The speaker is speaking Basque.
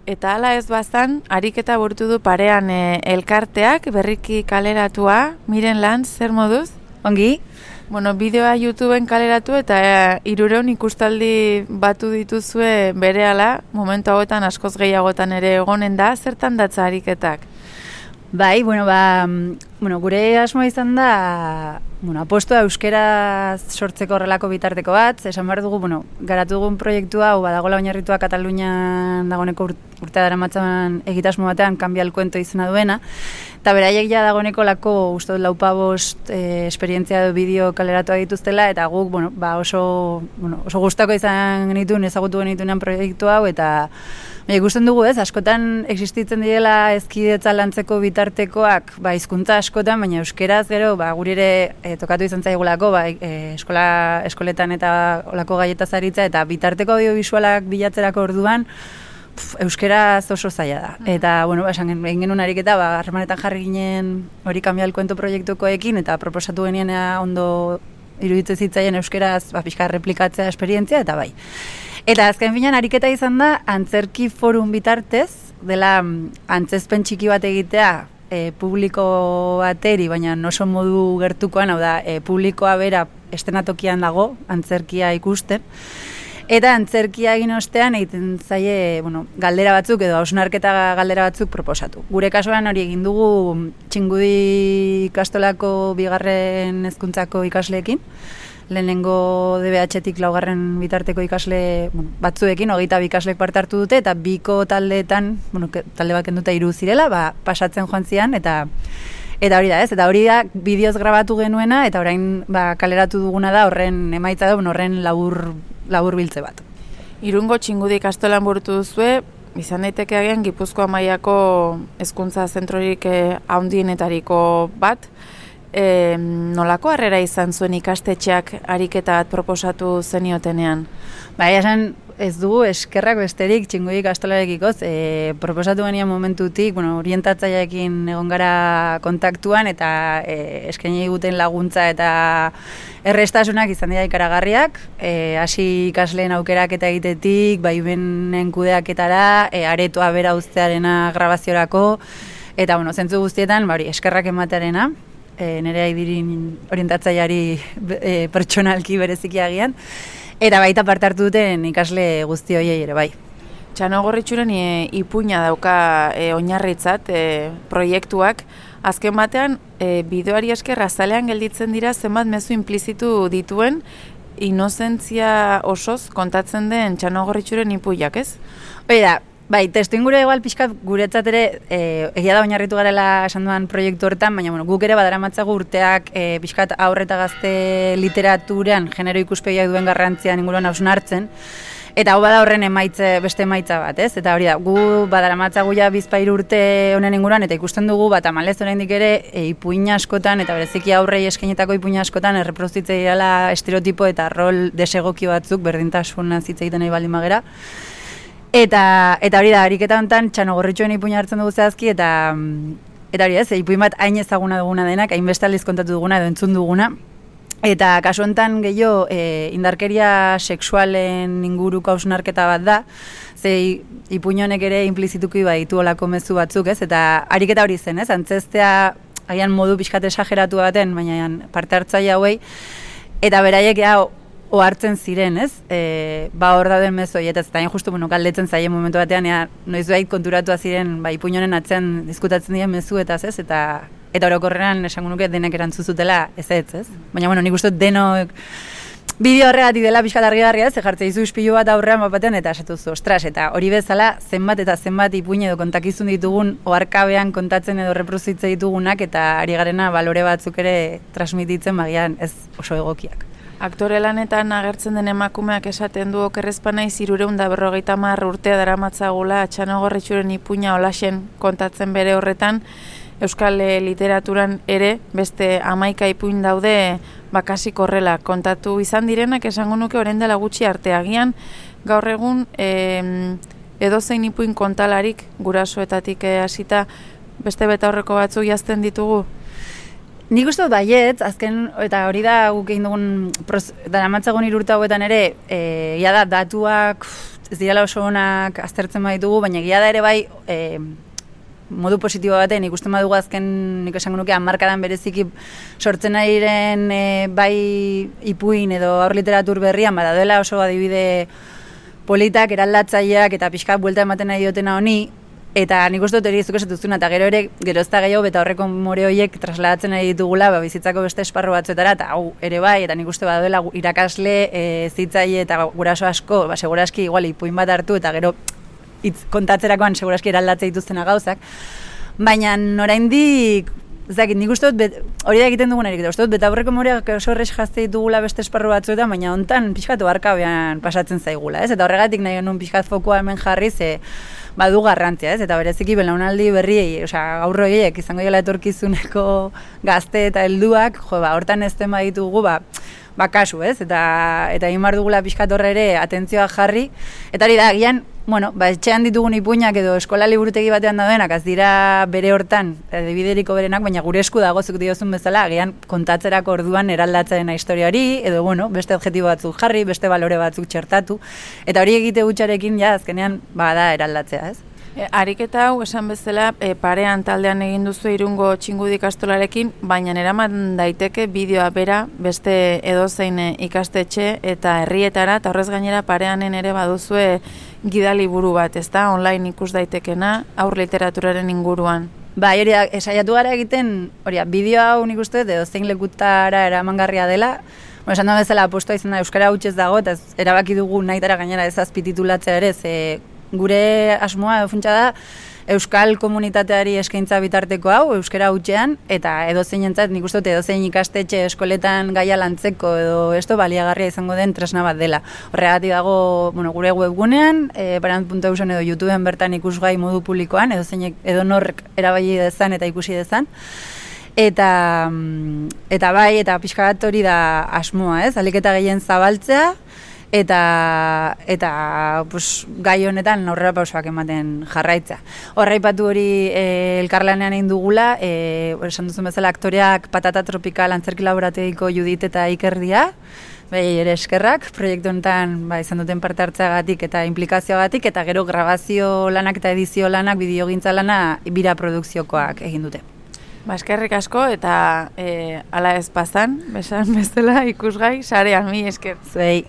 Eta hala ez bazan, ariketa burutu du parean elkarteak, berriki kaleratua, Miren Lanz, zer moduz? Ongi? Bueno, bideoa YouTubeen kaleratu eta 300 ikustaldi batu dituzue berehala, momentu hauetan askoz gehiagotan ere egonen da, zertan datza ariketak? Bai, gure asmoa izan da, apostua euskaraz sortzeko horrelako bitarteko bat, esan behar dugu, garatu dugun proiektua, hau badagola oinarritua Katalunian dagoeneko urtea daramatzan egitasmo batean, Cambia el Cuento izena duena, eta beraiek ja dagoeneko lako, uste dut 4-5 esperientzia edo bideo kaleratua dituztela, eta guk, oso gustako izan genituen, ezagutu genituenean proiektu hau, eta ikusten dugu askotan existitzen direla ezkidetza lantzeko bitartekoak, hizkuntza askotan, baina euskeraz gero, guri ere tokatu izan zaigulako, eskoletan eta olako gaietaz aritza, eta bitarteko audiovisualak bilatzerako orduan, euskeraz oso zaila da. Eta, esan egin genuen ariketa, harremanetan jarri ginen hori Cambia el Cuento proiektukoekin, eta proposatu genien ondo iruditzen zitzaien euskeraz, pixka replikatzea esperientzia, eta bai. Eta azken finean ariketa izan da, antzerki forum bitartez, dela antzezpen txiki bat egitea publiko bateri, baina oso modu gertukoan, hau da, publikoa bera estenatokian dago, antzerkia ikusten. Eta antzerkia egin ostean egiten zaie, galdera batzuk edo hausnarketa galdera batzuk proposatu. Gure kasuan hori egin dugu Txingudi ikastolako 2. hezkuntzako ikasleekin, lehenengo DBH-tik 4. bitarteko ikasle batzuekin, 22 ikaslek parte hartu dute, eta biko taldeetan, talde bat kenduta 3 zirela, pasatzen joan zian, eta hori da, eta hori da bideoz grabatu genuena, eta orain kaleratu duguna da, horren emaitza da, horren labur biltze bat. Irungo Txingudi ikastolan burutu duzue, izan daiteke agian Gipuzkoa mailako hezkuntza zentrorik handienetariko bat, nolako harrera izan zuen ikastetxeak ariketa bat proposatu zeniotenean? Esan ez dugu eskerrak besterik Txingudi ikastolarekiko, proposatu genian momentutik, orientatzaileekin egon gara kontaktuan, eta eskaini egiten laguntza eta errestasunak izan dira ikaragarriak, hasi ikasleen aukerak eta egitetik, baimenen kudeaketara, aretoa bera uztearena grabaziorako, eta zentzu guztietan, eskerrak ematearena, nire aidirin orientatzaileari pertsonalki bereziki agian, eta baita parte hartu duten ikasle guzti horiei ere bai. Txano Gorritxuren ipuina dauka oinarritzat proiektuak. Azken batean, bideoari esker azalean gelditzen dira zenbat mezu implizitu dituen inozentzia osoz kontatzen den Txano Gorritxuren ipuiak, ez? Hori da, bai, testuingurua igual pixkat guretzat ere egia da oinarritu garela esan duan proiektu horretan, baina guk ere badaramatzagu urteak pixkat aurre eta gazte literaturan genero ikuspegiak duen garrantzian inguruan hausnartzen, eta hau bada horren beste emaitza bat, ez? Eta hori da, gu badaramatzagu ja 2-3 urte honen inguruan, eta ikusten dugu, tamalez oraindik ere ipuin askotan, eta bereziki aurrei eskainetako ipuin askotan erreproduzitzen direla estereotipo eta rol desegoki batzuk berdintasunaz hitz egiten nahi baldin bagera. Eta hori da, ariketa honetan Txano Gorritxuen ipuina hartzen dugu zehazki, eta hori ez, ipuin bat hain ezaguna duguna denak, hain beste aldiz kontatu duguna edo entzun duguna. Eta kasu honetan gehiago indarkeria sexualen inguruko hausnarketa bat da, ze ipuin honek ere implizituki baditu olako mezu batzuk, ez? Eta ariketa hori zen, ez? Antzestea agian modu pixkat esageratu baten, baina parte hartzaile hauei, eta beraiek ohartzen ziren, ez? Hor dauden mezu hori, eta zain justu galdetzen zaien momentu batean, noiz behit konturatua ziren, ipuin honen atzean diskutatzen diren mezu eta ez, eta orokorrean esango nuke denek erantzuzutela ez, Baina, nik uste denok bideo horregatik dela pixkat argi-garria, ze jartzen dizu ispilu bat aurrean batean, eta esatuzu, ostras, eta hori bezala zenbat eta zenbat ipuin edo kontakizun ditugun oharkabean kontatzen edo reprozitze ditugunak, eta ari garena balore batzuk ere transmititzen bagian ez oso egokiak. Aktore lanetan agertzen den emakumeak esaten du okerrezpa naiz 350 urtea daramatzagula Txano Gorritxuren ipuina holaxen kontatzen bere horretan. Euskal literaturan ere beste 11 ipuin daude bakasik horrela kontatu izan direnak, esango nuke orain dela gutxi arte agian gaur egun edozein ipuin kontalarik gurasoetatik hasita beste betaurreko batzuk jazten ditugu. Nik uste dut baiet, azken, eta hori da guk egin dugun daramatzagun 3 urte hauetan ere, da datuak ez direla oso onak aztertzen baditugu, baina egia da ere bai, modu positibo baten ikusten badugu azken, nik esango nuke, hamarkadan bereziki sortzen ariren bai ipuin edo haur literatur berrian, dela oso adibide politak, eraldatzaileak eta pixka buelta ematen nahi diotena honi, eta nik uste dut hori zuk esatuzuna, eta gero ere gerozta gehiago eta horreko more horiek trasladatzen nahi ditugula bizitzako beste esparru batzuetara, eta hau ere bai, eta nik uste baduela irakasle, zitzaile eta guraso asko, seguraski igual ipuin bat hartu, eta gero kontatzerakoan seguraski eraldatzea dituztena gauzak, baina oraindik nik uste dut, hori da egiten dugunarik, uste dut, betaurreko moreak oso horrez jazte ditugula beste esparru batzuetan, baina hontan pixkatu arkabean pasatzen zaigula, ez? Eta horregatik nahi genuen pixkat fokua hemen jarri, badu garrantzia, ez? Eta bereziki belaunaldi berriei, gaur horiek izango dela etorkizuneko gazte eta helduak, hortan ezten baditugu, kasu, ez? Eta egin behar dugula pixkat horre ere atentzioa jarri, eta hori da, agian, etxean ditugun ipuinak edo eskola liburutegi batean daudenak, az dira bere hortan, bideriko berenak, baina gure esku dago zuk diozun bezala, agian kontatzerako orduan eraldatzen historia hori, edo beste objektibo batzuk jarri, beste balore batzuk txertatu, eta hori egite gutxarekin, azkenean, da eraldatzea, ez? Ariketa hau, esan bezala, parean taldean egin duzu Irungo Txingudi ikastolarekin, baina eraman daiteke bideoa bera beste edozein ikastetxe eta herrietara, eta horrez gainera pareanen ere baduzue gidaliburu bat, ezta? Online ikus daitekena, haur literaturaren inguruan. Hori da, esaiatu gara egiten, bideoa hau nik uste, edozein lekutara eramangarria dela, esan da bezala apostoa izan da euskara hutsez dago, eta erabaki dugu nahitara gainera ez azpititulatzea ere, gure asmoa funtsa da euskal komunitateari eskaintza bitarteko hau, euskara hutsean, eta edozeinentzat nik uste dut edozein ikastetxe eskoletan gaia lantzeko edo baliagarria izango den tresna bat dela. Horregatik dago gure webgunean, parant.eusen edo YouTubeen bertan ikusgai modu publikoan, edonork erabili dezan eta ikusi dezan. Eta bai, eta pixka bat hori da asmoa, ez? Ahalik eta gehien zabaltzea, eta gai honetan aurrera pausoak ematen jarraitza. Horraipatu hori elkarlanean egin dugula, esan duzun bezala aktoreak Patata Tropikal antzerki laborategiko Judit eta Ikerdia, ere eskerrak, proiektu honetan izan duten parte hartzeagatik eta implikazioagatik, eta gero grabazio lanak eta edizio lanak, bideogintza lana, bira produkziokoak egin dute. Eskerrik asko, eta ala ez pasan, besan bezala ikusgai, sarean, mi esker. Zuei.